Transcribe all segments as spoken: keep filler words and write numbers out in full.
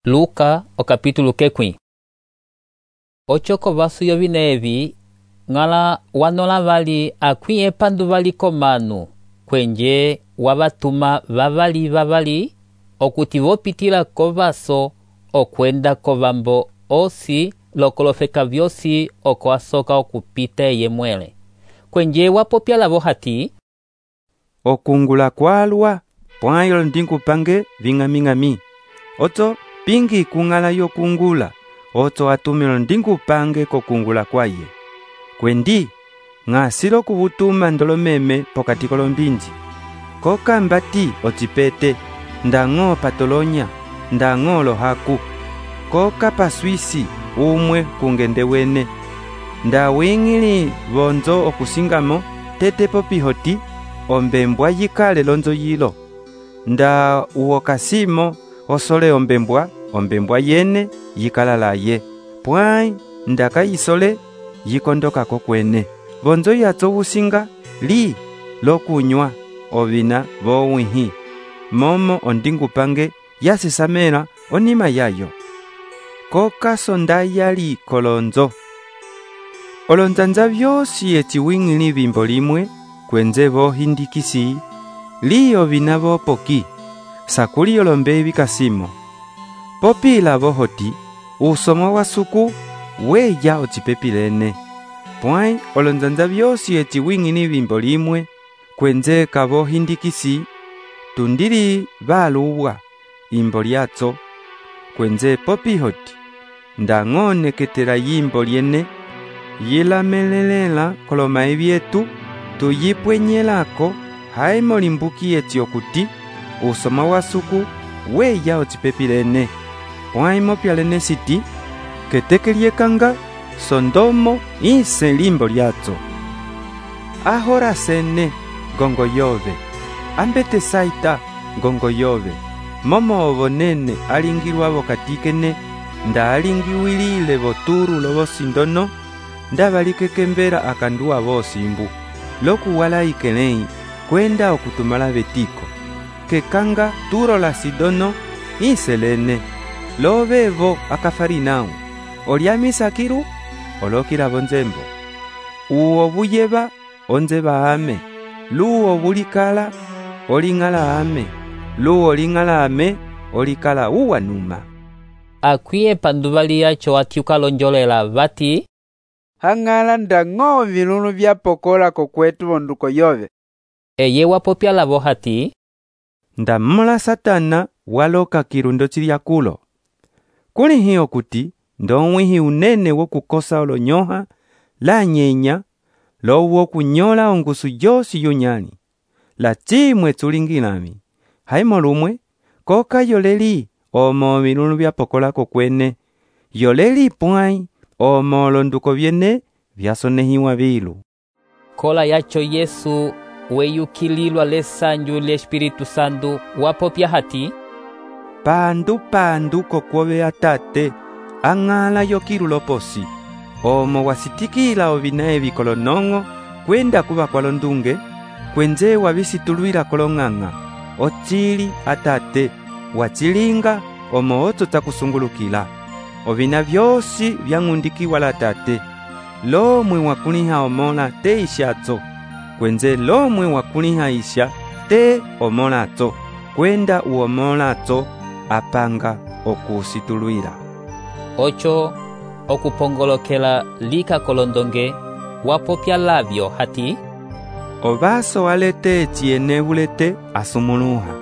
Luka o capítulo quequim. Ochoko vaso yovinevi ngala wanola vali akwin epandu vali komanu kwenje wavatuma vavali vavali okuti vopitila kovaso okwenda kovambo osi lokolofeka vyosi oko asoka okupita eye mwele. Kwenje wapopya lavo hati okungula kwalwa pwayo ndinkupange ving'ami-ng'ami oto pingi kungala yokungula oto atumilo ndinkupange kokungula kwaye kwendi ng'asilo kuvutuma ndolomeme pokati kolombinji koka mbati otipete ndang'o patolonya ndang'o lohaku koka paswisi umwe kungende wene ndawingili vonzo okusingamo tete popihoti ombembwa yikale lonzo yilo nda uokasimo osole ombembwa ombembwa yene yikalalaye pwai ndaka isole yikondoka kokwene vonzo yatso usinga li lokunywa ovina vowihi momo ondingupange yasisamela onima yayo koka sondayali kolonzo olonzanza vyosi eciwingili vimbo limwe kwenze vohindikisi li ovina vopoki sakuli olombe vikasimo popila vohoti usomo wa suku weya ocipepilene pwai olonzanza vyosi eciwingili vimbo limwe kwenze kavohindikisi tundili valuwa imbo lyatso kwenze popihoti ndang'oneketela yimbo lyene yilamelelela kolomai vyetu tuyipwenyelako haimo limbuki eti okuti usoma wa suku weya ocipepilene pwai mopyalene siti keteke lyekanga sondomo ise limbo lyatso ahora sene gongo yove ambete saita gongo yove momo ovonene alingilwa vokatikene nda alingiwilile voturu lovosindono nda valikekembela akanduwa vosimbu lokuwala ikelei kwenda okutumala vetiko kekanga turo la sidono iselene lovevo akafarinau olyamisakiru olokila vonzembo uwo vuyeva onzeva ame luwo vulikala oling'ala ame luwo ling'ala ame olikala uwanuma akwin epandu vali yacho atiukalonjolela vati hang'ala ndang'o vilulu vyapokola kokwetu vonduko yove eye wapopya lavo hati ndamola satana waloka kirundo chilyakulo kuli hiyo kuti ndong'wihi unene wokukosa olonyoha la nyenya lowo kunyola ongusu yosi yunyali la chimwe tulingilami haimo lumwe koka yoleli omo vilulu vyapokola kokwene yoleli pwai omo londuko vyene vyasonehiwa vilu kola yacho Yesu weyukililwa lesanju le Espiritu Santu wapopya hati pandu pandu kokwove atate ang'ala yokilulo posi omo wasitikila ovina evi kolonong'o kwenda kuva kwalondunge kwenze wavisitulwila kolong'ang'a ochili atate wachilinga omo oto takusungulukila ovina vyosi vyang'undikiwa la tate lomwe wakuliha omola te ishatso kwenze lomwe wakuliha isha te omolatso kwenda uomolatso apanga okusitulwila ocho okupongolokela lika kolondonge wapopya lavyo hati ovaso alete chiene bulete asumuluha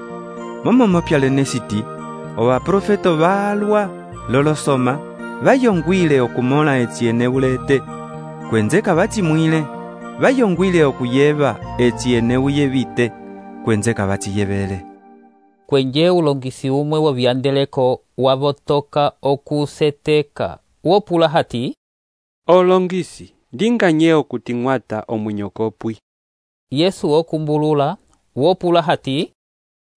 momo mopyalene siti ovaprofeto valwa lolosoma vayongwile okumola echiene bulete kwenze kavachimwile vayongwile okuyeva echiene uyevite kwenze kavachiyevele kwenje ulongisi umwe wovyandeleko wavotoka okuseteka wopula hati olongisi ndinganye okuti ng'wata omwinyokopwi Yesu okumbulula wopula hati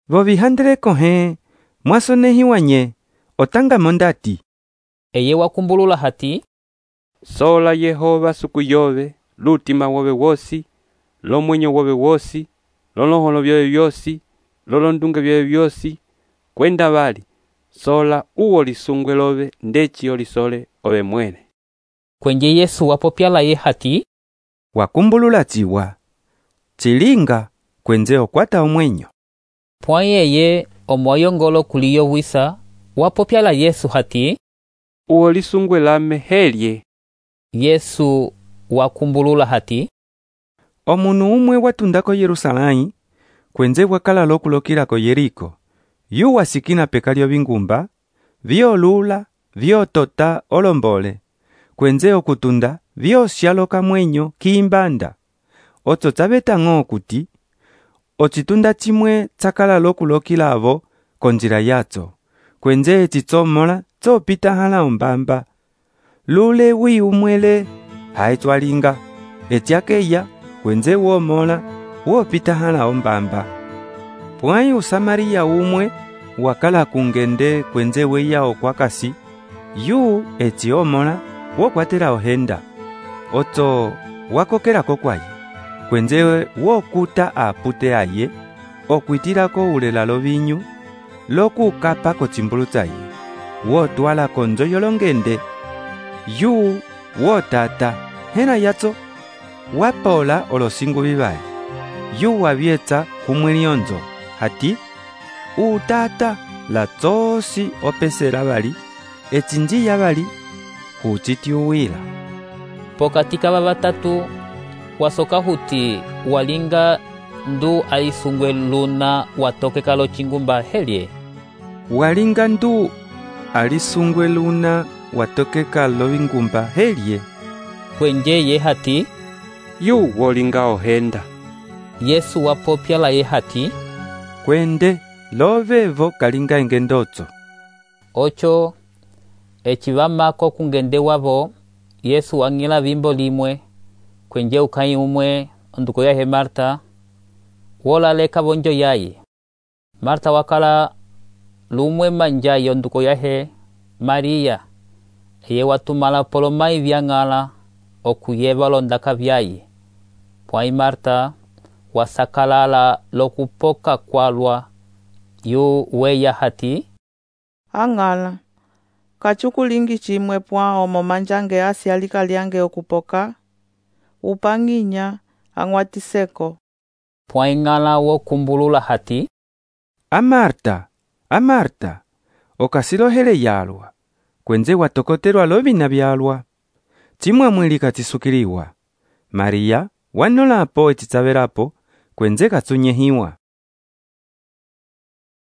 vovihandeleko he mwasonehiwa nye otanga mondati eye wakumbulula hati sola Yehova suku yove lutima wove wosi lomwenyo wove wosi lolonholo vyoe vyosi lolondunge vyoe vyosi kwenda vali sola uwo lisungwe love ndeci olisole ove mwene. Kwenje Yesu wapopya laye hati, wakumbulula ciwa cilinga kwenze okwata omwenyo. pwa yeye omwayongolo kuliyo wisa wapopya la Yesu hati, uwo lisungwe lame helye. Yesu wakumbulula hati, omunu umwe watundako Yerusalai kwenze wakala lokulokilako Yeriko. Yu wasikina peka lyo bingumba vyolula vyotota olombole kwenze okutunda vyosyaloka mwenyo kiimbanda. Otso tsabetang'o okuti ocitunda cimwe tsakala lokulokila avo konjira yatso kwenze citsomola tsopita hala ombamba. Lule wi umwele haetswalinga etyakeya kwenze womola wopita hala ombamba. Pwai Usamaria umwe wakala kungende kwenze weya okwakasi yu eti omola wokwatela ohenda. Otso wakokelako kwaye kwenze wokuta apute aye okwitilako ulela lovinyu lokukapa kotsimbulu tsaye wotwala konzo yolongende. Yu wotata hena yatso wapola olosingu vivali. Yu wavyetsa kumwe lionzo hati, utata la tsosi opesela bali etsinjiya bali hucitiuwila. pokati kava vatatu wasoka huti walinga ndu alisungwe luna watokeka lo chingumba helye. Walinga ndu alisungwe luna watokeka lo bingumba helye. Kwenje ye hati, yu wolinga ohenda. Yesu wapopya la ye hati, kwende lovevo kalinga engendotso. Ocho echivamako kungende wavo Yesu wangila vimbo limwe kwenje ukai umwe onduko yahe Marta wola leka bonjo yaye. Marta wakala lumwe manja yonduko yahe Maria eye watumala polomai vyangala okuyeva londaka vyaye. Pwai Marta wasakalala lokupoka kwalwa yu weya hati, angala kachukulingi chimwe pwa omo manjange asi alika liange okupoka upanginya angwatiseko. Pwai ngala wo kumbulula hati, Amarta, Amarta, okasilohele yalwa kwenze watokotelwa lovina byalwa chimwe mwilika tisukiliwa. Maria wanolapo etitsavelapo kwenze katsunyehiwa.